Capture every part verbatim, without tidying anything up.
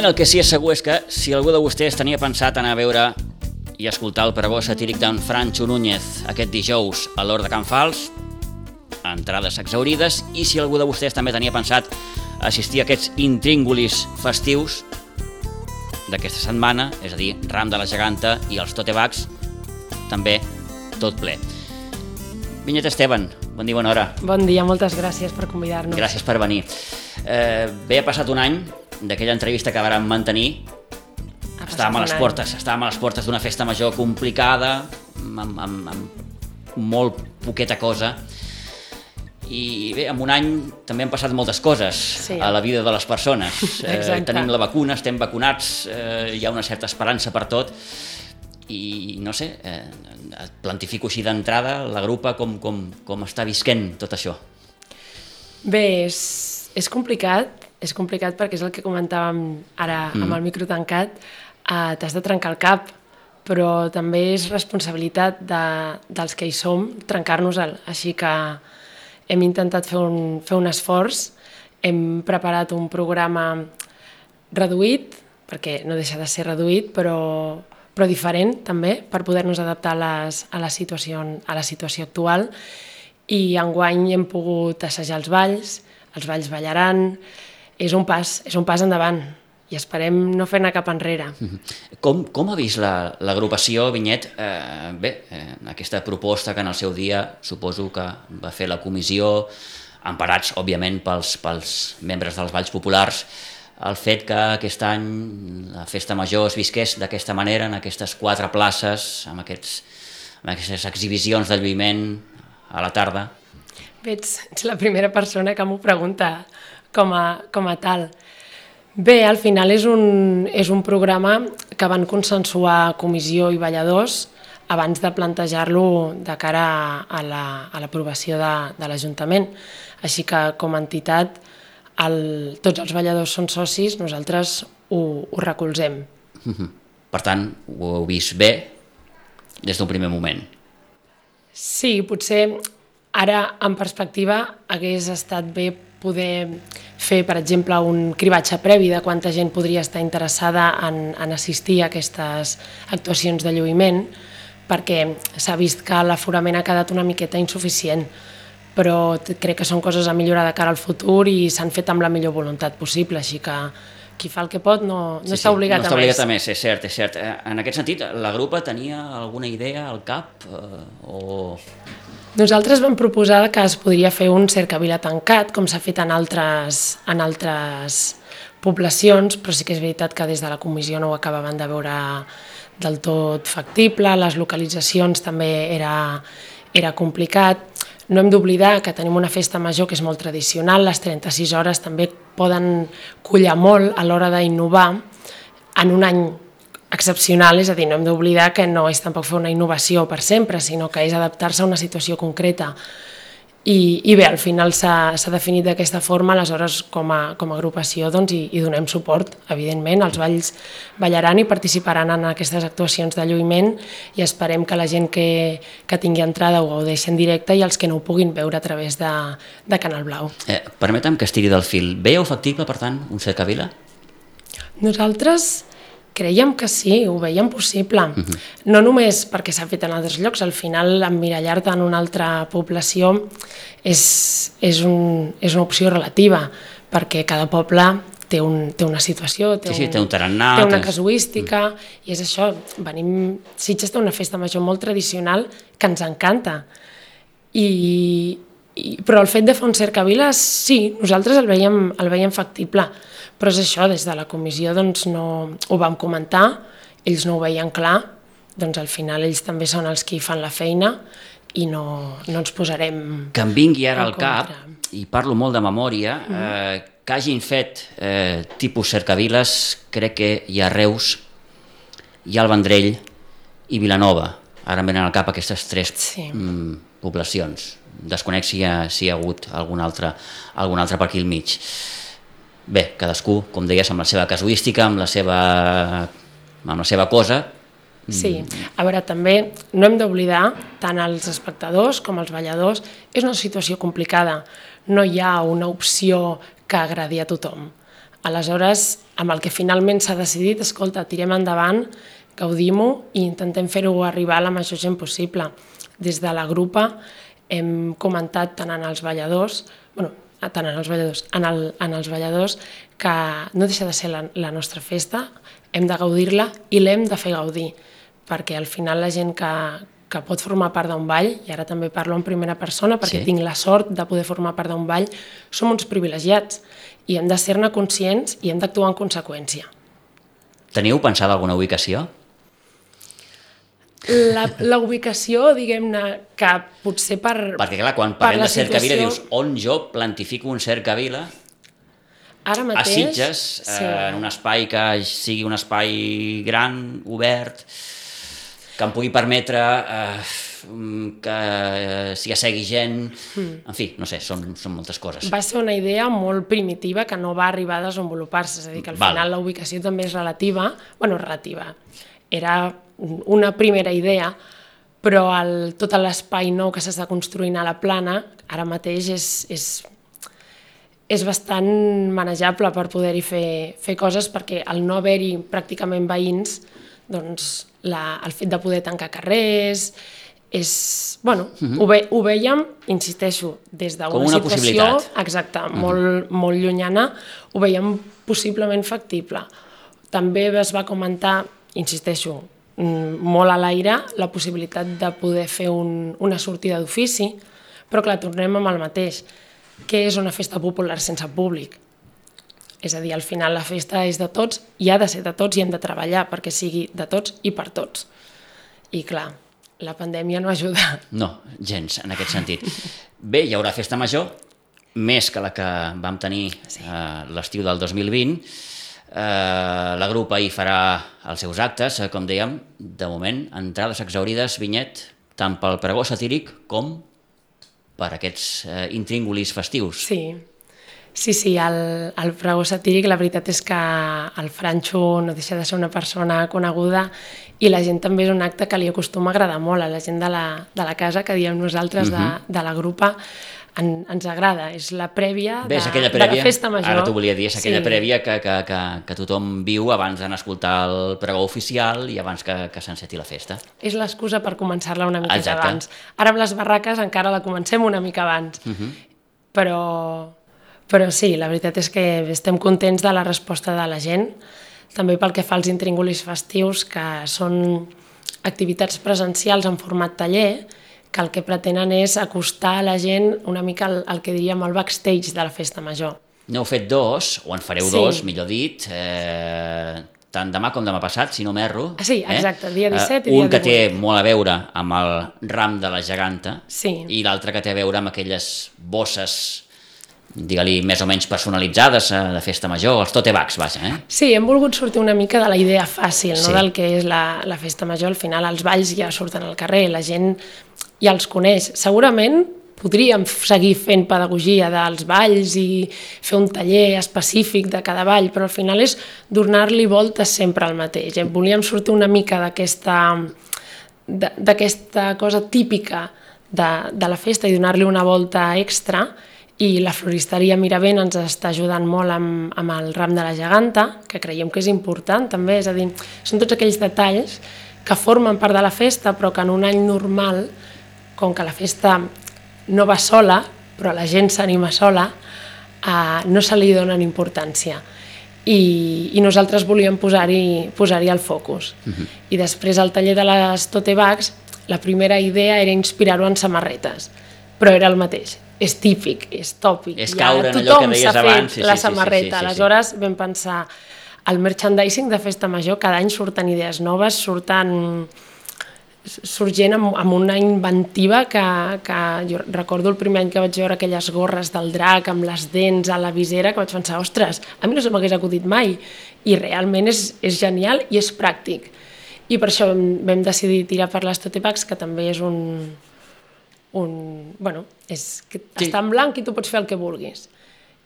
moment el que sí és segur és que si algú de vostès tenia pensat anar a veure i escoltar el pregó satíric d'en Francho Núñez aquest dijous a l'Hort de Can Fals, entrades exhaurides, i si algú de vostès també tenia pensat assistir a aquests intríngulis festius d'aquesta setmana, és a dir, Ram de la Geganta i els Totebags, també tot ple. Vinyet Esteban, bon dia, bona hora. Bon dia, moltes gràcies per convidar-nos. Gràcies per venir. Eh, bé, ha passat un any d'aquella entrevista que vàrem mantenir. Estàvem a les portes, estàvem a les portes d'una festa major complicada, amb, amb, amb molt poqueta cosa. I bé, en un any també han passat moltes coses sí. a la vida de les persones. Eh, tenim la vacuna, estem vacunats, eh, hi ha una certa esperança per tot. I no sé, eh, et plantifico així d'entrada la grupa com, com, com està visquent tot això. Bé, és, és complicat, és complicat perquè és el que comentàvem ara mm. amb el micro tancat, eh, t'has de trencar el cap, però també és responsabilitat de, dels que hi som trencar-nos-el, així que hem intentat fer un, fer un esforç, hem preparat un programa reduït, perquè no deixa de ser reduït, però però diferent també, per poder-nos adaptar a, les, a, la situació, a la situació actual. I enguany hem pogut assajar els balls, els balls ballaran, és un pas, és un pas endavant i esperem no fer-ne cap enrere. Com, com ha vist l'agrupació, Vinyet? Eh, bé, eh, aquesta proposta que en el seu dia suposo que va fer la comissió, emparats, òbviament, pels, pels membres dels balls populars, el fet que aquest any la festa major es visqués d'aquesta manera, en aquestes quatre places, amb, aquests, amb aquestes exhibicions de lluïment a la tarda. Bé, ets, ets la primera persona que m'ho pregunta com a, com a tal. Bé, al final és un, és un programa que van consensuar comissió i balladors abans de plantejar-lo de cara a l'aprovació la, de, de l'Ajuntament. Així que, com a entitat, El, tots els balladors són socis, nosaltres ho, ho recolzem. Per tant, ho heu vist bé des d'un primer moment. Sí, potser ara en perspectiva hagués estat bé poder fer, per exemple, un cribatge previ de quanta gent podria estar interessada en, en assistir a aquestes actuacions de lluïment, perquè s'ha vist que l'aforament ha quedat una miqueta insuficient, però crec que són coses a millorar de cara al futur i s'han fet amb la millor voluntat possible, així que qui fa el que pot no, no sí, està obligat sí, no a més. No està obligat a més, és cert, és cert. En aquest sentit, la grupa tenia alguna idea al cap? Eh, o... Nosaltres vam proposar que es podria fer un cercavila tancat, com s'ha fet en altres, en altres poblacions, però sí que és veritat que des de la comissió no ho acabaven de veure del tot factible, les localitzacions també era, era complicat. No hem d'oblidar que tenim una festa major que és molt tradicional, les trenta-sis hores també poden collar molt a l'hora d'innovar en un any excepcional, és a dir, no hem d'oblidar que no és tampoc fer una innovació per sempre, sinó que és adaptar-se a una situació concreta. I, i bé, al final s'ha definit d'aquesta forma, aleshores com a, com a agrupació doncs, hi, hi donem suport, evidentment, els balls ballaran i participaran en aquestes actuacions de lluïment i esperem que la gent que, que tingui entrada ho gaudeixi en directe i els que no ho puguin veure a través de, de Canal Blau. Eh, permetem que estiri del fil. Veieu factible, per tant, un cercavila? Nosaltres creiem que sí, ho veiem possible. Uh-huh. No només perquè s'ha fet en altres llocs, al final emmirallar-te en una altra població és, és, un, és una opció relativa, perquè cada poble té, un, té una situació, té, sí, sí, un, té, un tarannà, té una tens... casuística, uh-huh. i és això, venim... Sitges té una festa major molt tradicional que ens encanta. I, i, però el fet de fer un cercavila, sí, nosaltres el veiem, el veiem factible, però és això, des de la comissió doncs, no, ho vam comentar, ells no ho veien clar, doncs al final ells també són els qui fan la feina i no, no ens posarem... Que em vingui ara al cap, i parlo molt de memòria, mm. eh, que hagin fet eh, tipus cercaviles, crec que hi ha Reus, hi ha el Vendrell i Vilanova. Ara em venen al cap aquestes tres sí. mm, poblacions. Desconec si hi ha, si hi ha hagut algun altre, algun altre per aquí al mig. Bé, cadascú, com deies, amb la seva casuística, amb la seva, amb la seva cosa. Sí, a veure, també no hem d'oblidar, tant els espectadors com els balladors, és una situació complicada. No hi ha una opció que agradi a tothom. Aleshores, amb el que finalment s'ha decidit, escolta, tirem endavant, gaudim-ho i intentem fer-ho arribar a la major gent possible. Des de la grupa hem comentat tant en els balladors, bueno, tant en els balladors, en, el, en els balladors, que no deixa de ser la, la nostra festa, hem de gaudir-la i l'hem de fer gaudir, perquè al final la gent que, que pot formar part d'un ball, i ara també parlo en primera persona perquè sí. tinc la sort de poder formar part d'un ball, som uns privilegiats i hem de ser-ne conscients i hem d'actuar en conseqüència. Teniu pensada alguna ubicació? La, la ubicació, diguem-ne, que potser per Perquè clar, quan parlem de cercavila dius on jo plantifico un cercavila ara mateix, a Sitges, sí. eh, en un espai que sigui un espai gran, obert, que em pugui permetre eh, que eh, s'hi assegui gent, mm. en fi, no sé, són, són moltes coses. Va ser una idea molt primitiva que no va arribar a desenvolupar-se, és a dir, que al Val. final la ubicació també és relativa, bueno, relativa, era una primera idea, però el, tot l'espai nou que s'està construint a la Plana ara mateix és, és, és bastant manejable per poder-hi fer, fer coses, perquè al no haver-hi pràcticament veïns, doncs la, el fet de poder tancar carrers és, bueno, uh-huh. ho, ve, ho veiem, insisteixo, des d'una situació exacte, uh-huh. molt, molt llunyana, ho veiem possiblement factible. També es va comentar, insisteixo, molt a l'aire, la possibilitat de poder fer un, una sortida d'ofici, però clar, tornem amb el mateix. Què és una festa popular sense públic? És a dir, al final la festa és de tots i ha de ser de tots i hem de treballar perquè sigui de tots i per tots. I clar, la pandèmia no ajuda. No, gens, en aquest sentit. Bé, hi haurà festa major, més que la que vam tenir sí. eh, l'estiu del dos mil vint. Eh, la grupa hi farà els seus actes, eh, com dèiem, de moment, entrades exaurides, Vinyet, tant pel pregó satíric com per aquests eh, intríngulis festius. Sí, sí, sí, el, el pregó satíric, la veritat és que el Franxo no deixa de ser una persona coneguda i la gent també és un acte que li acostuma a agradar molt a la gent de la, de la casa, que diem nosaltres uh-huh. de, de la grupa, en, ens agrada, és la prèvia, de, Bé, prèvia de la festa major. Ara t'ho volia dir, és aquella sí. prèvia que, que, que, que tothom viu abans d'anar a escoltar el pregó oficial i abans que, que s'enceti la festa. És l'excusa per començar-la una mica Exacte. abans. Ara amb les barraques encara la comencem una mica abans, uh-huh. però, però sí, la veritat és que estem contents de la resposta de la gent, també pel que fa als intríngulis festius, que són activitats presencials en format taller, que el que pretenen és acostar a la gent una mica el, el que diríem el backstage de la festa major. N'heu fet dos, o en fareu sí. dos, millor dit, eh, tant demà com demà passat, si no m'erro. Ah, sí, exacte, dia disset eh, i dia divuit. Un que té molt a veure amb el ram de la geganta sí. i l'altre que té a veure amb aquelles bosses, digue-li, més o menys personalitzades eh, de festa major, els tote bags, vaja. Eh? Sí, hem volgut sortir una mica de la idea fàcil, sí. no? Del que és la, la festa major. Al final els balls ja surten al carrer, la gent ja els coneix. Segurament podríem seguir fent pedagogia dels balls i fer un taller específic de cada ball, però al final és donar-li voltes sempre al mateix. Volíem sortir una mica d'aquesta d'aquesta cosa típica de, de la festa i donar-li una volta extra, i la floristeria Miravent ens està ajudant molt amb, amb el ram de la geganta, que creiem que és important també, és a dir, són tots aquells detalls que formen part de la festa, però que en un any normal, com que la festa no va sola, però la gent s'anima sola, eh, no se li donen importància. I, i nosaltres volíem posar-hi posar-hi el focus. Uh-huh. I després al taller de les tote bags, la primera idea era inspirar-ho en samarretes, però era el mateix. És típic, és tòpic. És caure en allò que deies abans. Sí, la samarreta. Sí, sí, sí, sí. Aleshores vam pensar, el merchandising de Festa Major, cada any surten idees noves, surten sorgent amb, amb una inventiva que, que jo recordo el primer any que vaig veure aquelles gorres del drac amb les dents a la visera, que vaig pensar, ostres, a mi no se m'hagués acudit mai, i realment és, és genial i és pràctic. I per això vam, vam decidir tirar per les tote bags, que també és un... un bueno, és que sí. Està en blanc i tu pots fer el que vulguis.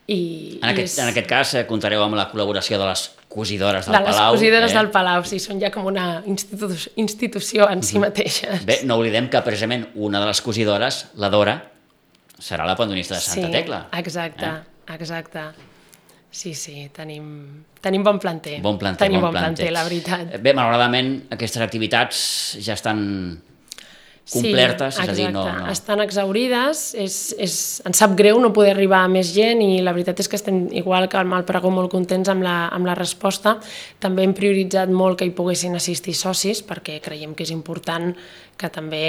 I, en, aquest, és... en aquest cas eh, comptareu amb la col·laboració de les cosidores del de Palau. De les cosidores eh? del Palau, sí, són ja com una institu institució en si mateixes. Bé, no oblidem que precisament una de les cosidores, la Dora, serà la pandonista de Santa sí, Tecla. Exacte, eh? exacte. sí, sí, tenim, tenim bon planter. Bon planter, tenim bon bon planter, planter, la veritat. Bé, malauradament, aquestes activitats ja estan complertes, sí, és a dir, no... exacte. no... Estan exaurides, és, és, ens sap greu no poder arribar a més gent i la veritat és que estem, igual que amb el pregó, molt contents amb la, amb la resposta. També hem prioritzat molt que hi poguessin assistir socis perquè creiem que és important que també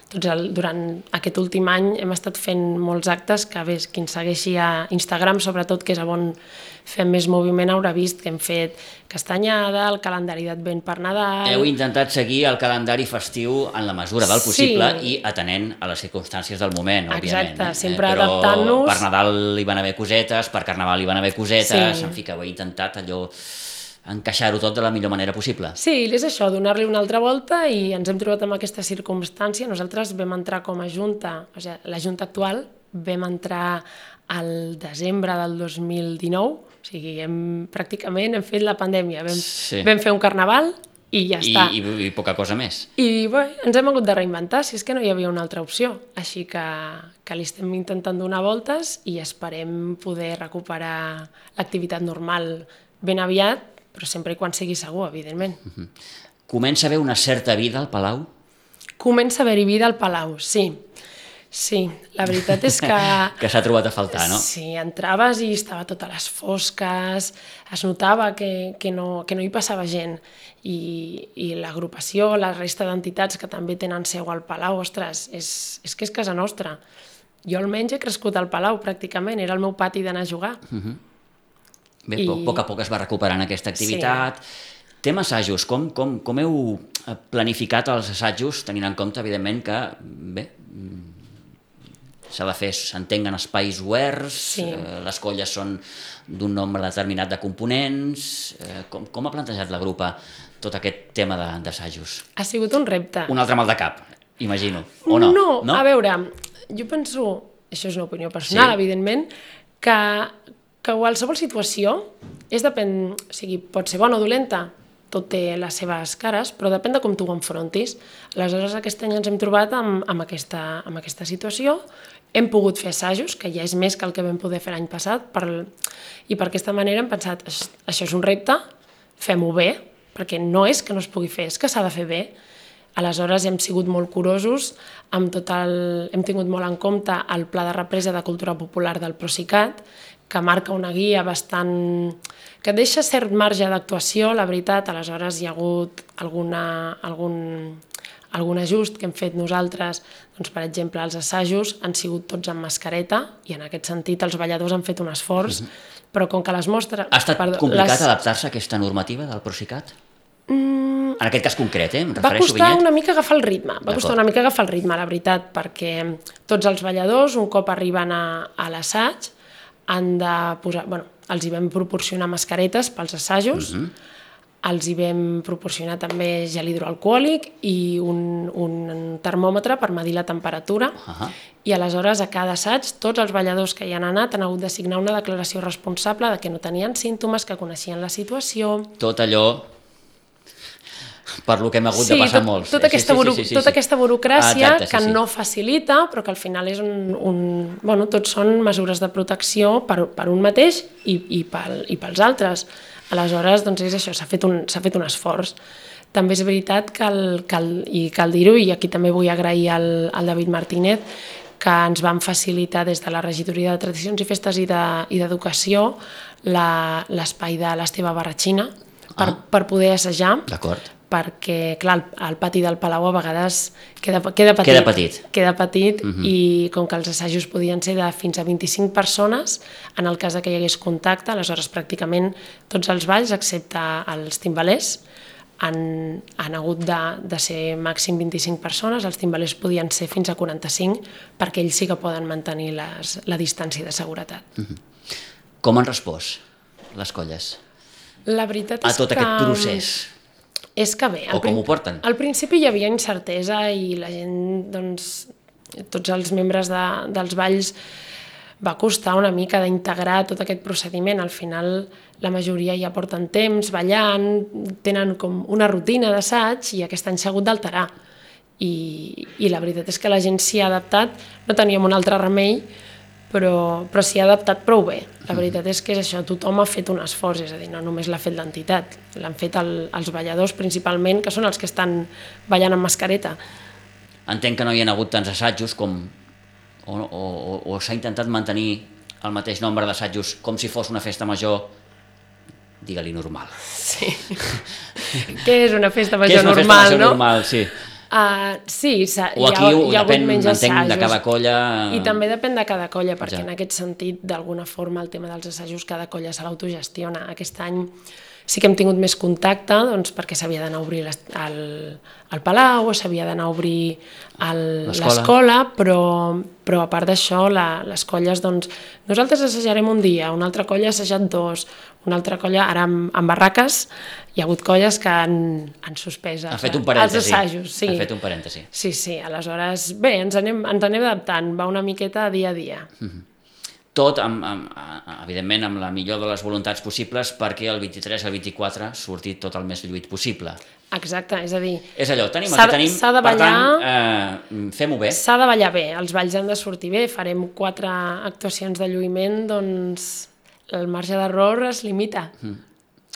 tots el, durant aquest últim any hem estat fent molts actes que bé, qui ens segueixi a Instagram, sobretot, que és on fem més moviment, haurà vist que hem fet castanyada, el calendari d'Advent per Nadal... Heu intentat seguir el calendari festiu en la mesura del possible sí. i atenent a les circumstàncies del moment, òbviament. Exacte, eh? sempre Però adaptant-nos... per Nadal hi van haver cosetes, per Carnaval hi van haver cosetes, sí. en fi, que ho he intentat allò encaixar-ho tot de la millor manera possible. Sí, és això, donar-li una altra volta i ens hem trobat amb aquesta circumstància. Nosaltres vam entrar com a junta, o sigui, la junta actual vam entrar al desembre del dos mil dinou, o sigui, hem, pràcticament hem fet la pandèmia, vam, sí. vam fer un carnaval i ja I, està. I, I poca cosa més. I bé, ens hem hagut de reinventar, si és que no hi havia una altra opció. Així que, que li estem intentant donar voltes i esperem poder recuperar l'activitat normal ben aviat, però sempre i quan sigui segur, evidentment. Uh-huh. Comença a haver una certa vida al Palau? Comença a haver-hi vida al Palau, sí. Sí, la veritat és que... que s'ha trobat a faltar, no? Sí, entraves i estava tot a les fosques, es notava que, que, no, que no hi passava gent. I, i l'agrupació, la resta d'entitats que també tenen seu al Palau, ostres, és, és que és casa nostra. Jo almenys he crescut al Palau, pràcticament, era el meu pati d'anar a jugar. Uh-huh. Bé, I... a poc a poc es va recuperant aquesta activitat. Sí. Tema assajos, com, com, com heu planificat els assajos, tenint en compte, evidentment, que bé, s'ha de fer, s'entenguen espais oberts, sí. eh, les colles són d'un nombre determinat de components... Eh, com, com ha plantejat la grupa tot aquest tema d'assajos? Ha sigut un repte. Un altre mal de cap, imagino, o no? No, no? A veure, jo penso, això és una opinió personal, sí. evidentment, que... que qualsevol situació és depèn, o sigui, pot ser bona o dolenta, tot té les seves cares, però depèn de com tu ho enfrontis. Aleshores, aquest any ens hem trobat amb, amb, aquesta, amb aquesta situació, hem pogut fer assajos, que ja és més que el que vam poder fer l'any passat, per, i per aquesta manera hem pensat, això és un repte, fem-ho bé, perquè no és que no es pugui fer, és que s'ha de fer bé. Aleshores hem sigut molt curosos, amb tot el, hem tingut molt en compte el Pla de Represa de Cultura Popular del Procicat, que marca una guia bastant... que deixa cert marge d'actuació, la veritat. Aleshores hi ha hagut alguna, algun, algun ajust que hem fet nosaltres. Doncs, per exemple, els assajos han sigut tots amb mascareta i en aquest sentit els balladors han fet un esforç, uh-huh. però com que les mostres... Ha estat perdó, complicat les... adaptar-se a aquesta normativa del Procicat? Mm... En aquest cas concret, eh? Em va costar Vinyet. una mica agafar el ritme, va costar una mica agafar el ritme, la veritat, perquè tots els balladors, un cop arriben a, a l'assaig, han de posar, bueno, els hi vam proporcionar mascaretes pels assajos, uh-huh. els hi vam proporcionar també gel hidroalcohòlic i un, un termòmetre per medir la temperatura, uh-huh. i aleshores a cada assaig tots els balladors que hi han anat han hagut de signar una declaració responsable de que no tenien símptomes, que coneixien la situació... Tot allò per lo que hem hagut sí, de passar tot, molts. Tota, aquesta, sí, sí, sí, sí, sí. tota aquesta burocràcia ah, exacte, sí, que sí. no facilita, però que al final és un... un bueno, tots són mesures de protecció per, per un mateix i, i, pel, i pels altres. Aleshores, doncs és això, s'ha fet, un, s'ha fet un esforç. També és veritat que, el, que el, i cal dir-ho, i aquí també vull agrair al, al David Martínez, que ens van facilitar des de la Regidoria de Tradicions i Festes i d'Educació la, l'espai de l'Esteve Barratxina per, ah. per poder assajar. D'acord. Perquè, clar, el, el pati del Palau a vegades queda, queda petit, queda petit, queda petit uh-huh. i com que els assajos podien ser de fins a vint-i-cinc persones, en el cas que hi hagués contacte, aleshores pràcticament tots els balls, excepte els timbalers, han, han hagut de, de ser màxim vint-i-cinc persones, els timbalers podien ser fins a quaranta-cinc, perquè ells sí que poden mantenir les, la distància de seguretat. Uh-huh. Com han respost les colles? La veritat és que... A tot aquest procés? És que bé, o com ho porten? Al principi hi havia incertesa i la gent, doncs, tots els membres de, dels balls va costar una mica d'integrar tot aquest procediment. Al final la majoria ja porten temps ballant, tenen com una rutina d'assaig i aquest any s'ha hagut d'alterar. I, I la veritat és que la gent s'hi ha adaptat, no teníem un altre remei però, però s'hi ha adaptat prou bé. La veritat és que és això, tothom ha fet un esforç, és a dir, no només l'ha fet l'entitat, l'han fet el, els balladors principalment, que són els que estan ballant amb mascareta. Entenc que no hi ha hagut tants assajos com, o, o, o, o s'ha intentat mantenir el mateix nombre d'assajos com si fos una festa major, digue-li normal. Sí. Què és una festa major Què és una normal, festa major no? normal, sí. Uh, sí, o aquí hi ha, hi ha depèn, hagut menys entenc, assajos. de cada colla... I també depèn de cada colla, perquè ja. en aquest sentit, d'alguna forma, el tema dels assajos, cada colla se l'autogestiona. Aquest any sí que hem tingut més contacte, doncs, perquè s'havia d'anar a obrir el, el Palau, o s'havia d'anar a obrir l'escola, però, però a part d'això, les colles, doncs, nosaltres assajarem un dia, una altra colla ha assajat dos, una altra colla, ara amb, amb barraques, hi ha hagut colles que han, han suspès els, ha fet un parèntesi. els assajos. Sí. Ha fet un parèntesi. Sí, sí, aleshores, bé, ens anem, ens anem adaptant, va una miqueta dia a dia. Mm-hmm. Tot, amb, amb, evidentment, amb la millor de les voluntats possibles perquè el vint-i-tres al vint-i-quatre surti tot el més lluït possible. Exacte, és a dir... És allò, tenim el que tenim, de ballar, per tant, eh, fem-ho bé. S'ha de ballar bé, els balls han de sortir bé, farem quatre actuacions de lluïment, doncs el marge d'error es limita. Mm.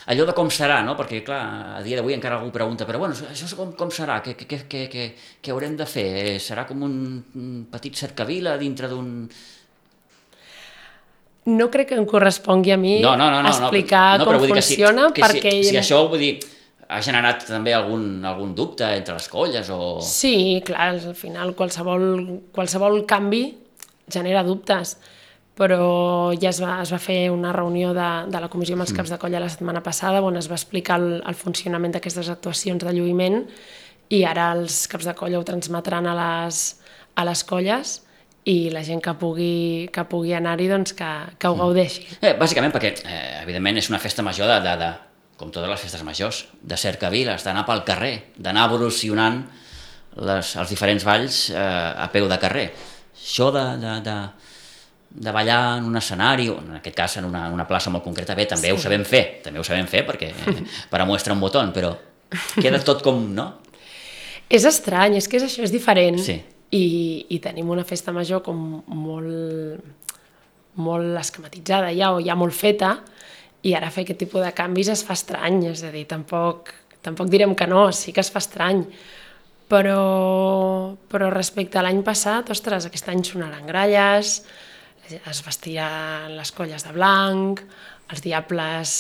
Allò de com serà, no? Perquè, clar, a dia d'avui encara algú pregunta, però bueno, això com, com serà? Què, què, què, què, què haurem de fer? Serà com un, un petit cercavila dintre d'un... No crec que em correspongui a mi no, no, no, no, explicar no, no, com funciona, si, perquè... Si, si això, vull dir, ha generat també algun, algun dubte entre les colles o... Sí, clar, al final qualsevol, qualsevol canvi genera dubtes, però ja es va, es va fer una reunió de, de la comissió amb els caps de colla la setmana passada on es va explicar el, el funcionament d'aquestes actuacions de lluïment i ara els caps de colla ho transmetran a les, a les colles i la gent que pugui, que pugui anar-hi doncs que, que ho gaudeixi. Eh, bàsicament perquè, eh, evidentment, és una festa major de, de, de, com totes les festes majors, de cercaviles, d'anar pel carrer, d'anar evolucionant les, els diferents balls eh, a peu de carrer. Això de, de, de, de ballar en un escenari, o en aquest cas en una, una plaça molt concreta, bé, també sí. ho sabem fer, també ho sabem fer perquè eh, per a muestra un botó, però queda tot com, no? És estrany, és que és això, és diferent. Sí. I, i tenim una festa major com molt, molt esquematitzada ja, o ja molt feta, i ara fer aquest tipus de canvis es fa estrany, és a dir, tampoc, tampoc direm que no, sí que es fa estrany, però, però respecte a l'any passat, ostres, aquest any sonaran gralles, es vestiran les colles de blanc, els diables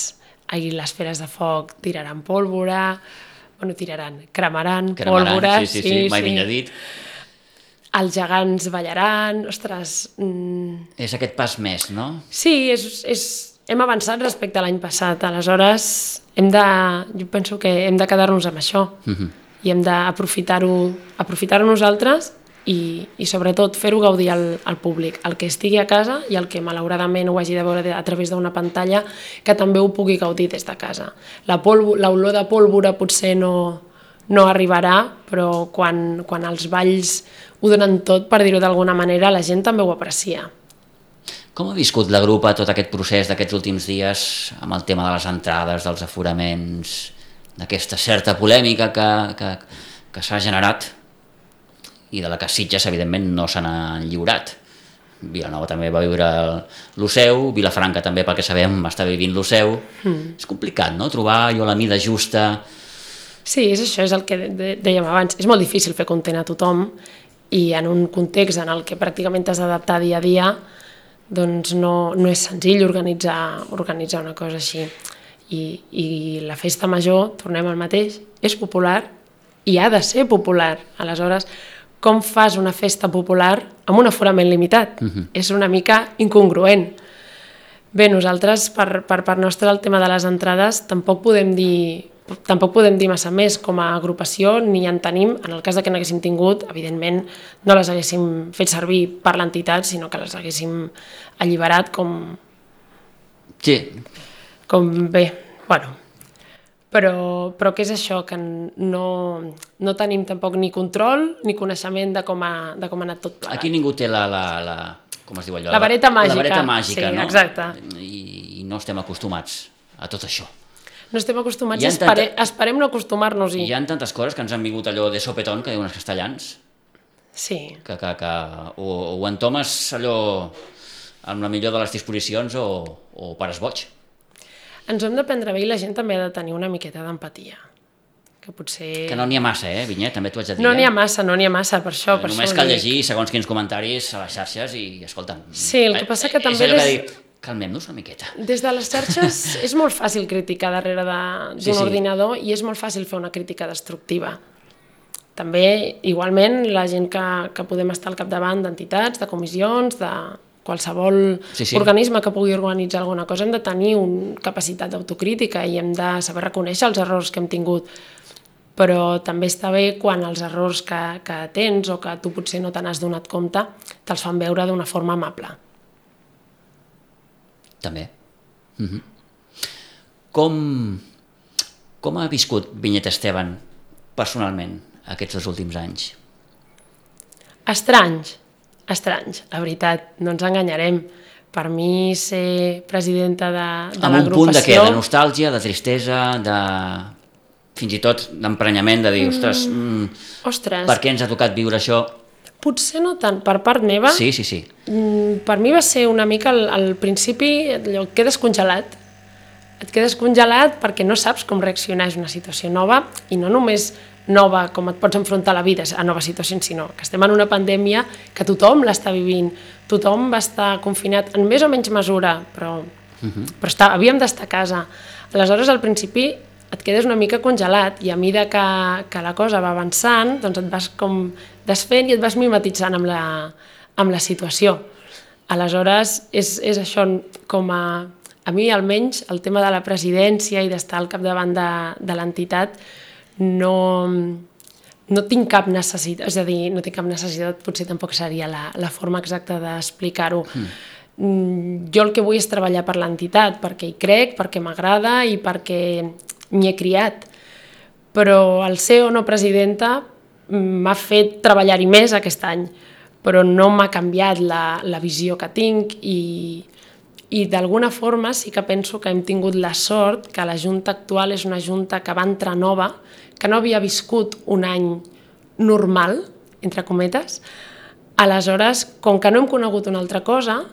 i les feres de foc tiraran pólvora, bueno, tiraran, cremaran, cremaran pólvora, sí, sí, sí, sí, mai millor dit. Els gegants ballaran, ostres... Mm... És aquest pas més, no? Sí, és, és, hem avançat respecte a l'any passat, aleshores hem de, jo penso que hem de quedar-nos amb això uh-huh. i hem d'aprofitar-ho aprofitar-ho nosaltres i, i sobretot fer-ho gaudir al, al públic, el que estigui a casa i el que malauradament ho hagi de veure a través d'una pantalla, que també ho pugui gaudir des de casa. La polvo, l'olor de pólvora potser no, no arribarà, però quan, quan els balls ho donen tot, per dir-ho d'alguna manera, la gent també ho aprecia. Com ha viscut la grupa tot aquest procés d'aquests últims dies amb el tema de les entrades, dels aforaments, d'aquesta certa polèmica que, que, que s'ha generat i de la que Sitges, evidentment, no se n'ha lliurat? Vilanova també va viure lo seu, Vilafranca també, pel que sabem, està vivint lo seu. Mm. És complicat, no?, trobar allò la mida justa. Sí, és això, és el que dèiem abans. És molt difícil fer content a tothom, i en un context en el que pràcticament t'has d'adaptar dia a dia, doncs no, no és senzill organitzar, organitzar una cosa així. I, I la festa major, tornem al mateix, és popular i ha de ser popular. Aleshores, com fas una festa popular amb un aforament limitat? Uh-huh. És una mica incongruent. Bé, nosaltres, per, per part nostra, el tema de les entrades, tampoc podem dir... Tampoc podem dir massa més com a agrupació, ni en tenim. En el cas de que n'haguéssim tingut, evidentment no les haguéssim fet servir per l'entitat, sinó que les haguéssim alliberat com... Sí. Com bé, bueno. Però, però què és això? Que no, no tenim tampoc ni control ni coneixement de com ha, de com ha anat tot plegat. Aquí ningú té la... la, la com es diu allò? La vareta màgica. La vareta màgica, sí, no? Exacte. I, I no estem acostumats a tot això. No estem acostumats i espere, tanta... esperem no acostumar-nos-hi. Hi ha tantes coses que ens han vingut allò de sopetón, que diuen els castellans. Sí. Que, que, que, o, o entomes allò amb la millor de les disposicions o, o pares boig. Ens ho hem de prendre bé i la gent també ha de tenir una miqueta d'empatia. Que potser... Que no n'hi ha massa, eh, Vinyet? També t'ho haig de dir. No n'hi ha massa, no n'hi ha massa, per això. Per Només això cal llegir segons quins comentaris a les xarxes i, escolta'm... Sí, el que passa que també... És allò que dic, calmem-nos una miqueta. Des de les xarxes és molt fàcil criticar darrere d'un sí, sí. ordinador i és molt fàcil fer una crítica destructiva. També, igualment, la gent que, que podem estar al capdavant d'entitats, de comissions, de qualsevol sí, sí. organisme que pugui organitzar alguna cosa, hem de tenir una capacitat d'autocrítica i hem de saber reconèixer els errors que hem tingut. Però també està bé quan els errors que, que tens o que tu potser no te n'has donat compte te'ls fan veure d'una forma amable. També. Mm-hmm. Com, com ha viscut Vinyet Esteban personalment aquests dos últims anys? Estranys, estranys, la veritat, no ens enganyarem. Per mi ser presidenta de, de l'agrupació... Amb un punt de què? De nostàlgia, de tristesa, de... fins i tot d'emprenyament, de dir, ostres, mm, ostres, per què ens ha tocat viure això? Potser no tant, per part meva. Sí, sí, sí. Per mi va ser una mica al, al principi, allò, et quedes congelat. Et quedes congelat perquè no saps com reaccionar, és una situació nova, i no només nova com et pots enfrontar a la vida, a noves situacions, sinó que estem en una pandèmia que tothom l'està vivint, tothom va estar confinat en més o menys mesura, però, uh-huh. però està, havíem d'estar a casa. Aleshores, al principi, et quedes una mica congelat i a mesura que, que la cosa va avançant, doncs et vas com desfent i et vas mimetitzant amb la, amb la situació. Aleshores, és, és això com a... A mi, almenys, el tema de la presidència i d'estar al capdavant de, de l'entitat no, no tinc cap necessitat, és a dir, no tinc cap necessitat, potser tampoc seria la, la forma exacta d'explicar-ho. Mm. Jo el que vull és treballar per l'entitat, perquè hi crec, perquè m'agrada i perquè m'hi he criat. Però el ser o no presidenta m'ha fet treballar-hi més aquest any, però no m'ha canviat la, la visió que tinc i... I d'alguna forma sí que penso que hem tingut la sort que la Junta actual és una Junta que va entrar nova, que no havia viscut un any normal, entre cometes. Aleshores, com que no hem conegut una altra cosa,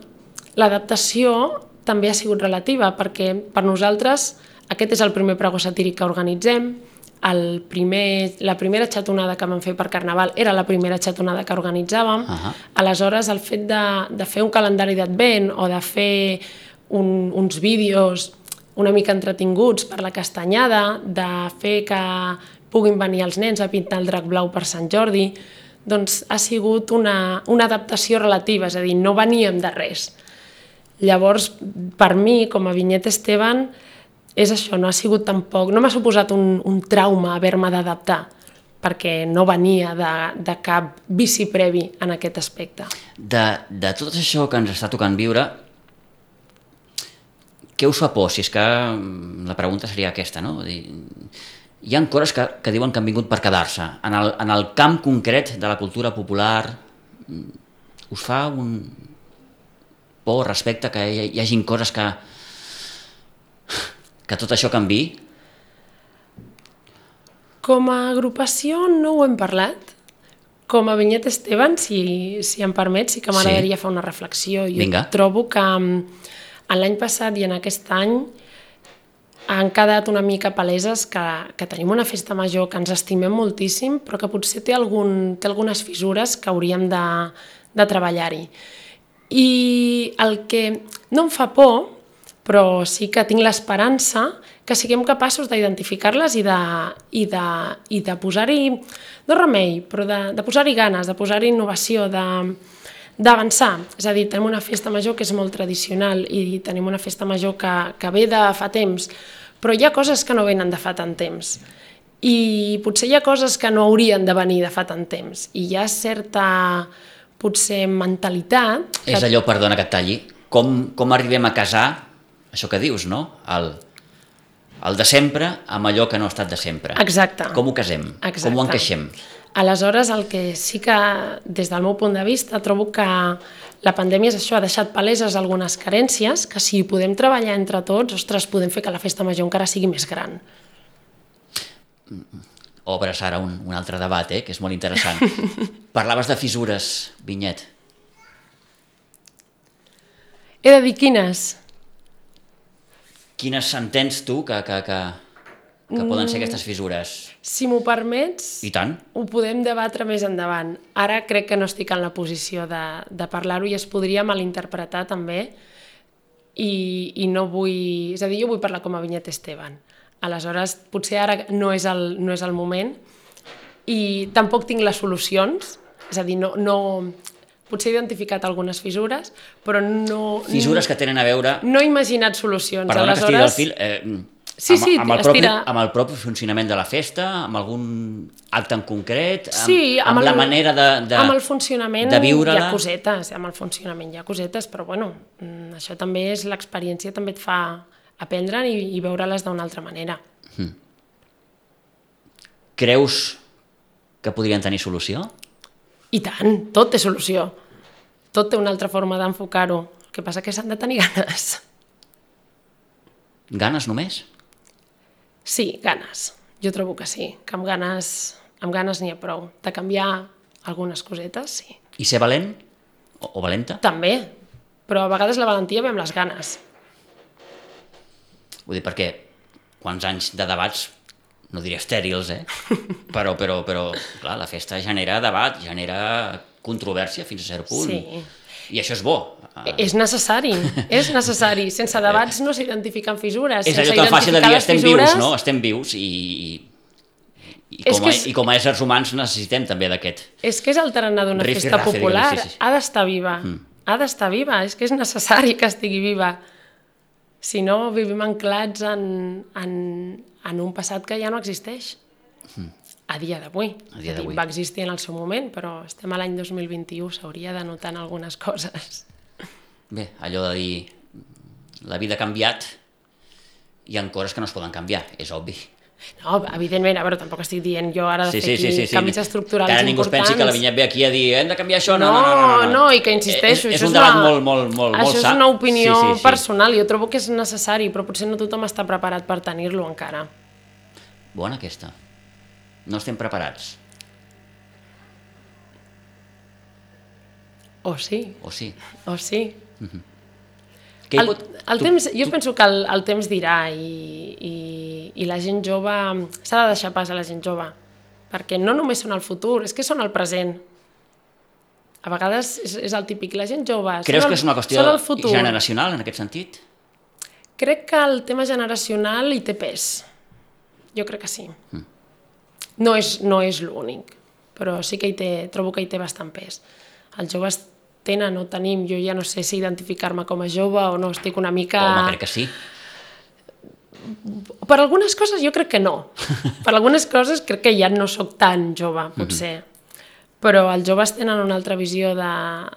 l'adaptació també ha sigut relativa, perquè per nosaltres aquest és el primer pregó satíric que organitzem, el primer, la primera xatonada que vam fer per Carnaval era la primera xatonada que organitzàvem. Uh-huh. Aleshores, el fet de, de fer un calendari d'advent o de fer un, uns vídeos una mica entretinguts per la castanyada, de fer que puguin venir els nens a pintar el drac blau per Sant Jordi, doncs ha sigut una, una adaptació relativa, és a dir, no veníem de res. Llavors, per mi, com a Vinyet Esteban, és això, no ha sigut tampoc, no m'ha suposat un, un trauma haver-me d'adaptar, perquè no venia de, de cap vici previ en aquest aspecte. De, de tot això que ens està tocant viure, què us fa por? Si és que la pregunta seria aquesta, no? Hi ha coses que, que diuen que han vingut per quedar-se. En el, en el camp concret de la cultura popular, us fa un por respecte que hi, hi hagin coses que que tot això canviï? Com a agrupació no ho hem parlat. Com a Vinyet Esteban, si, si em permet, sí que m'agradaria sí. fer una reflexió. Jo Vinga. Trobo que l'any passat i en aquest any han quedat una mica paleses que, que tenim una festa major que ens estimem moltíssim, però que potser té, algun, té algunes fissures que hauríem de, de treballar-hi. I el que no em fa por, però sí que tinc l'esperança que siguem capaços d'identificar-les i de, i de, i de posar-hi, no remei, però de, de posar-hi ganes, de posar-hi innovació, d'avançar. És a dir, tenim una festa major que és molt tradicional i tenim una festa major que, que ve de fa temps, però hi ha coses que no venen de fa tant temps. I potser hi ha coses que no haurien de venir de fa tant temps. I hi ha certa, potser, mentalitat... És allò, perdona que et talli, com, com arribem a casar això que dius, no? El, el de sempre amb allò que no ha estat de sempre. Exacte. Com ho casem? Exacte. Com ho encaixem? Aleshores, el que sí que, des del meu punt de vista, trobo que la pandèmia és això, ha deixat paleses algunes carències, que si podem treballar entre tots, ostres, podem fer que la festa major encara sigui més gran. Obres ara un, un altre debat, eh, que és molt interessant. Parlaves de fissures, Vinyet. He de dir quines? Quines entens tu que, que, que, que poden ser aquestes fissures? Si m'ho permets, I tant. ho podem debatre més endavant. Ara crec que no estic en la posició de, de parlar-ho i es podria malinterpretar també i, i no vull... És a dir, jo vull parlar com a Vinyet Esteban. Aleshores, potser ara no és el, no és el moment i tampoc tinc les solucions, és a dir, no... no potser he identificat algunes fissures, però no... Fissures que tenen a veure... No he imaginat solucions. Perdona Aleshores... que estigui del fil... Eh, sí, amb, sí, amb, el propi, estira... amb el propi funcionament de la festa, amb algun acte en concret, amb, sí, amb, amb el, la manera de, de, amb el funcionament de viure-la... hi ha cosetes, amb el funcionament hi ha cosetes, però bueno, això també és l'experiència, també et fa aprendre i, i veure-les d'una altra manera. Hmm. Creus que podrien tenir solució? I tant, tot té solució. Tot té una altra forma d'enfocar-ho. El que passa que s'han de tenir ganes. Ganes només? Sí, ganes. Jo trobo que sí, que amb ganes, amb ganes n'hi ha prou. De canviar algunes cosetes, sí. I ser valent? O, o valenta? També, però a vegades la valentia ve amb les ganes. Vull dir, perquè quants anys de debats, no diré estèrils, eh? però, però, però clar, la festa genera debat, genera controvèrsia fins a cert punt. Sí. I això és bo. És necessari, és necessari. Sense debats no s'identifiquen fissures. És Sense allò tan fàcil de dir, estem fissures... vius, no? Estem vius i, i, com a, és... i com a éssers humans necessitem també d'aquest. És que és el tarannà d'una festa rafe, popular. diguem, sí, sí. Ha d'estar viva. Mm. Ha d'estar viva. És que és necessari que estigui viva. Si no, vivim anclats en, en, en un passat que ja no existeix. Mm. A dia d'avui. Va existir en el seu moment, però estem a l'any dos mil vint-i-u, s'hauria de notar en algunes coses. Bé, allò de dir la vida ha canviat i hi ha coses que no es poden canviar, és obvi. No, evidentment, a veure, tampoc estic dient jo ara de sí, fer sí, aquí sí, sí, canvis sí. estructurals importants. Que ara ningú es pensi que la Vinyet ve aquí a dir hem de canviar això, no, no, no, no. No, no, no i que insisteixo, és, això és un debat una, molt, molt, molt, molt això sa. és una opinió sí, sí, sí. personal, jo trobo que és necessari, però potser no tothom està preparat per tenir-lo encara. Bona aquesta. No estem preparats. O sí. O sí. O sí. Mm-hmm. El, pot... el tu, temps, jo tu... penso que el, el temps dirà i, i, i la gent jove, s'ha de deixar pas a la gent jove, perquè no només són el futur, és que són el present. A vegades és, és el típic, la gent jove... Creus el, que és una qüestió generacional en aquest sentit? Crec que el tema generacional hi té pes. Jo crec que sí. Mm. No és, no és l'únic, però sí que hi té, trobo que hi té bastant pes. Els joves tenen o tenim, jo ja no sé si identificar-me com a jove o no, estic una mica... Home, crec que sí. Per algunes coses jo crec que no. Per algunes coses crec que ja no sóc tan jove, potser. Mm-hmm. Però els joves tenen una altra visió de,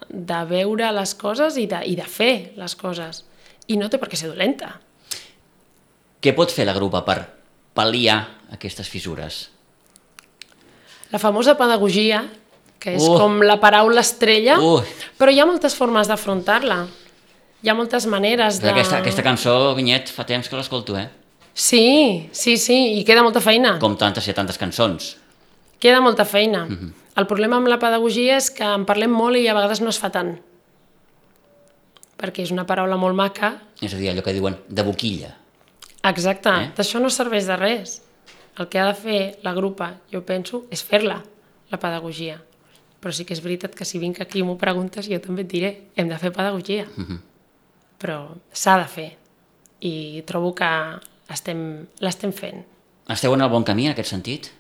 de veure les coses i de, i de fer les coses. I no té per què ser dolenta. Què pot fer la grupa per pal·liar aquestes fissures? La famosa pedagogia, que és uh. com la paraula estrella, uh. però hi ha moltes formes d'afrontar-la. Hi ha moltes maneres de... Aquesta, aquesta cançó, Vinyet, fa temps que l'escolto, eh? Sí, sí, sí, i queda molta feina. Com tantes i tantes cançons. Queda molta feina. Mm-hmm. El problema amb la pedagogia és que en parlem molt i a vegades no es fa tant. Perquè és una paraula molt maca. És a dir, allò que diuen de boquilla. Exacte, eh? D'això no serveix de res. El que ha de fer la grupa, jo penso, és fer-la, la pedagogia. Però sí que és veritat que si vinc aquí i m'ho preguntes, jo també et diré, hem de fer pedagogia. Mm-hmm. Però s'ha de fer. I trobo que estem, l'estem fent. Esteu en el bon camí, en aquest sentit?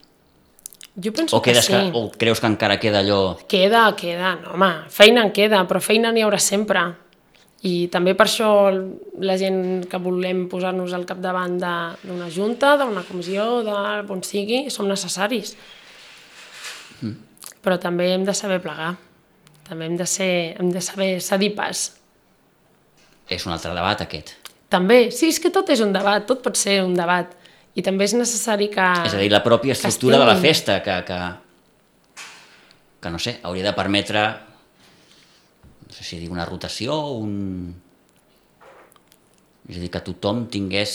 Jo penso o que sí. Que, o creus que encara queda allò... Queda, queda, no, home, feina en queda, però feina n'hi haurà sempre. I també per això la gent que volem posar-nos al capdavant d'una junta, d'una comissió, d'on sigui, som necessaris. Mm. Però també hem de saber plegar. També hem de, ser, hem de saber cedir pas. És un altre debat, aquest. També, sí, és que tot és un debat, tot pot ser un debat. I també és necessari que... És a dir, la pròpia estructura de la festa, que, que, que no sé, hauria de permetre, no sé si dir una rotació, un... és a dir, que tothom tingués,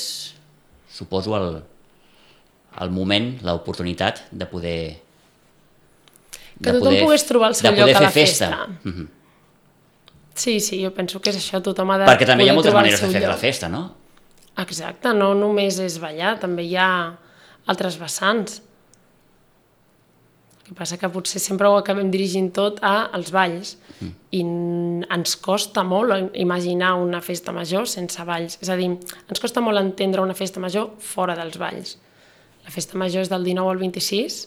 suposo, el, el moment, l'oportunitat de poder... Que tothom pogués trobar el seu lloc a la festa. Mm-hmm. Sí, sí, jo penso que és això, tothom ha de Perquè també hi ha poder moltes trobar el maneres de seu fer lloc. la festa, no? Exacte, no només és ballar, també hi ha altres vessants. El que passa que potser sempre ho acabem dirigint tot a als balls mm. i ens costa molt imaginar una festa major sense balls. És a dir, ens costa molt entendre una festa major fora dels balls. La festa major és del dinou al vint-i-sis,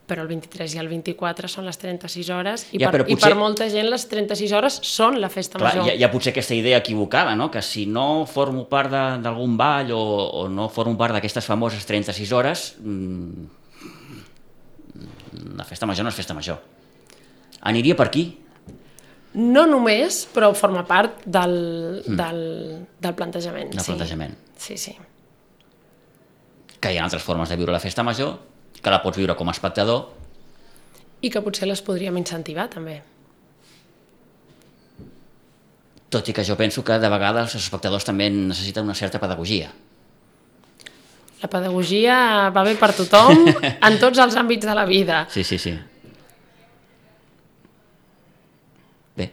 però el vint-i-tres i el vint-i-quatre són les trenta-sis hores i, ja, per, potser... i per molta gent les trenta-sis hores són la festa Clar, major. Hi ha, hi ha potser aquesta idea equivocada, no? Que si no formo part d'algun ball o, o no formo part d'aquestes famoses trenta-sis hores, mmm, la festa major no és festa major. Aniria per aquí? No només, però forma part del, mm. del, del plantejament. Del sí. plantejament. Sí, sí. Que hi ha altres formes de viure la festa major, que la pots viure com a espectador. I que potser les podríem incentivar, també. Tot i que jo penso que de vegades els espectadors també necessiten una certa pedagogia. La pedagogia va bé per tothom, en tots els àmbits de la vida. Sí, sí, sí. Bé.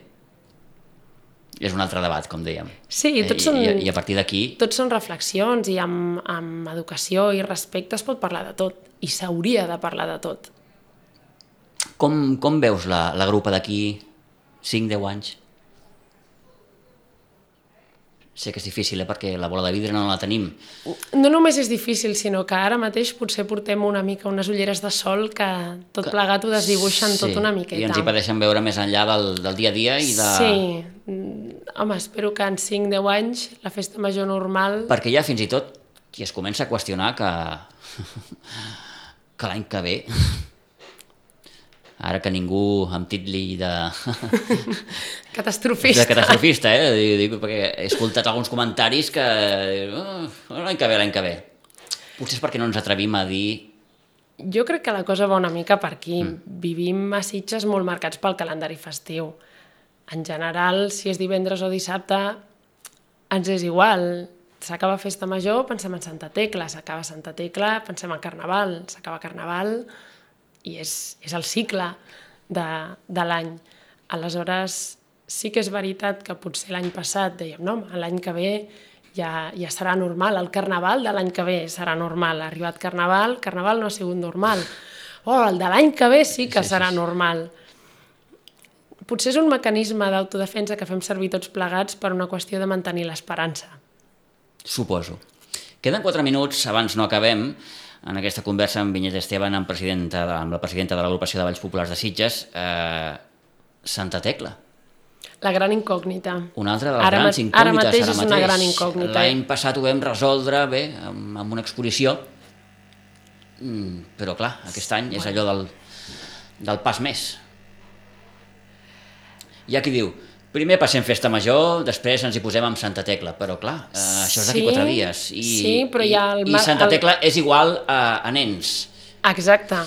És un altre debat, com dèiem. Sí, tots són... I, i a partir d'aquí... Tots són reflexions i amb, amb educació i respecte es pot parlar de tot. I s'hauria de parlar de tot. Com, com veus la, la grupa d'aquí cinc deu anys? Sé que és difícil, eh, perquè la bola de vidre no la tenim. No només és difícil, sinó que ara mateix potser portem una mica unes ulleres de sol que tot plegat ho desdibuixen sí, tot una miqueta. I ens hi impedeixen veure més enllà del, del dia a dia i de... Sí, home, espero que en cinc deu anys la festa major normal... Perquè hi ha fins i tot qui es comença a qüestionar que, que l'any que ve... Ara que ningú em titli de... Catastrofista. De catastrofista, eh? Dic, perquè he escoltat alguns comentaris que... Oh, l'any que ve, l'any que ve. Potser és perquè no ens atrevim a dir... Jo crec que la cosa va una mica per aquí. Mm. Vivim a Sitges molt marcats pel calendari festiu. En general, si és divendres o dissabte, ens és igual. S'acaba festa major, pensem en Santa Tecla. S'acaba Santa Tecla, pensem en Carnaval. S'acaba Carnaval... i és, és el cicle de, de l'any. Aleshores, sí que és veritat que potser l'any passat dèiem, no, l'any que ve ja, ja serà normal, el Carnaval de l'any que ve serà normal, ha arribat Carnaval, Carnaval no ha sigut normal, oh, el de l'any que ve sí que sí, serà sí, sí. normal. Potser és un mecanisme d'autodefensa que fem servir tots plegats per una qüestió de mantenir l'esperança. Suposo. Queden quatre minuts, abans no acabem, en aquesta conversa amb Vinyet Esteban, amb, presidenta de, amb la presidenta de l'Agrupació de Balls Populars de Sitges, eh, Santa Tecla. La gran incògnita. Una altra de les ara grans incògnites. Ara mateix ara és mateix. Una gran incògnita. L'any passat ho vam resoldre bé, amb, amb una exposició, mm, però clar, aquest any és allò del, del pas més. Hi ha qui diu, primer passem festa major, després ens hi posem amb Santa Tecla, però clar, eh, això és d'aquí sí, quatre dies. I, sí, però hi ha el... I, i Santa Tecla el... és igual a, a nens. Exacte.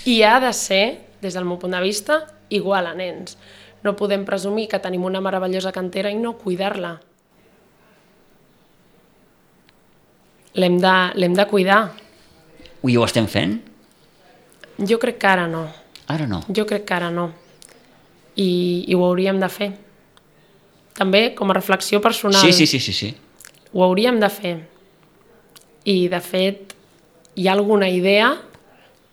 I ha de ser, des del meu punt de vista, igual a nens. No podem presumir que tenim una meravellosa cantera i no cuidar-la. L'hem de, l'hem de cuidar. I ho estem fent? Jo crec que ara no. Ara no? Jo crec que ara no. I, i ho hauríem de fer. També com a reflexió personal. Sí, sí, sí, sí, sí. Ho hauríem de fer. I, de fet, hi ha alguna idea,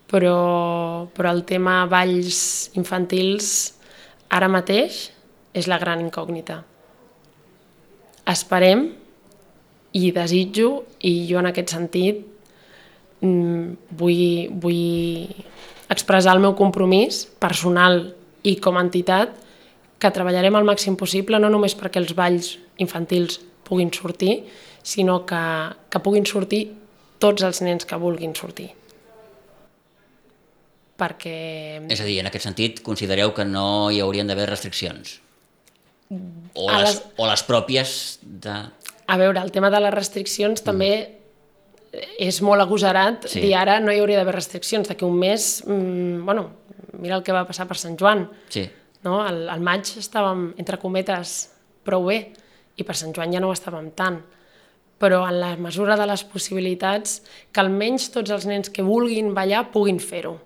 però, però el tema balls infantils ara mateix és la gran incògnita. Esperem i desitjo, i jo en aquest sentit vull, vull expressar el meu compromís personal i com a entitat que treballarem al màxim possible, no només perquè els balls infantils puguin sortir, sinó que, que puguin sortir tots els nens que vulguin sortir. Perquè... És a dir, en aquest sentit, considereu que no hi haurien d'haver restriccions? O les, les... o les pròpies de... A veure, el tema de les restriccions mm. també és molt agosarat sí. dir ara no hi hauria d'haver restriccions. D'aquí un mes, mmm, bueno, mira el que va passar per Sant Joan. Sí. No? Al, al maig estàvem, entre cometes, prou bé, i per Sant Joan ja no ho estàvem tant. Però en la mesura de les possibilitats, que almenys tots els nens que vulguin ballar puguin fer-ho.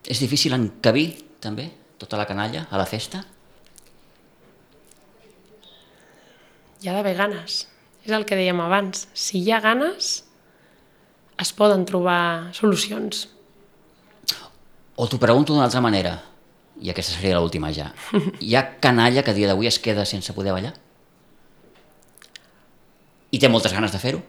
És difícil encabir, també, tota la canalla a la festa? Hi ha d'haver ganes. És el que dèiem abans. Si hi ha ganes, es poden trobar solucions. O t'ho pregunto d'una altra manera, i aquesta seria l'última ja. Hi ha canalla que a dia d'avui es queda sense poder ballar? I té moltes ganes de fer-ho?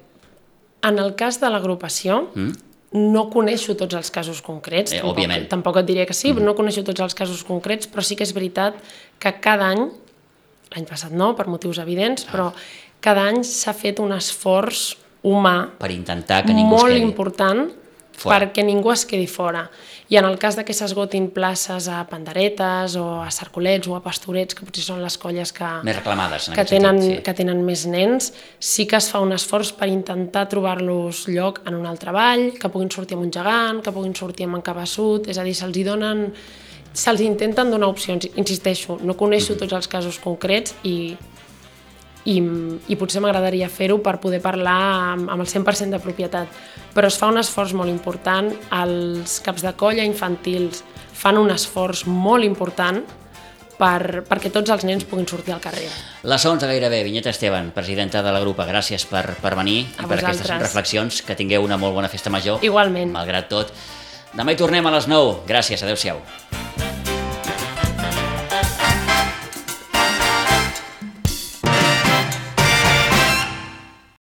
En el cas de l'agrupació, mm? no coneixo tots els casos concrets, eh, tampoc, òbviament. tampoc et diré que sí, mm. no coneixo tots els casos concrets, però sí que és veritat que cada any, l'any passat no, per motius evidents, ah. però cada any s'ha fet un esforç humà per intentar que ningú molt es quedi important fora. Perquè ningú es quedi fora. I en el cas de que s'esgotin places a panderetes o a cercolets o a pastorets, que potser són les colles que, més reclamades, en que, aquest tenen, sentit, sí. que tenen més nens, sí que es fa un esforç per intentar trobar-los lloc en un altre ball, que puguin sortir amb un gegant, que puguin sortir amb en cabeçut, és a dir, se'ls donen, se'ls intenten donar opcions. Insisteixo, no coneixo tots els casos concrets i I, i potser m'agradaria fer-ho per poder parlar amb, amb el cent per cent de propietat, però es fa un esforç molt important, els caps de colla infantils fan un esforç molt important per, perquè tots els nens puguin sortir al carrer. Les onze gairebé. Vinyeta Esteban, presidenta de la grupa, gràcies per, per venir i per aquestes reflexions, que tingueu una molt bona festa major. Igualment. Malgrat tot. Demà hi tornem a les nou. Gràcies, adeu-siau.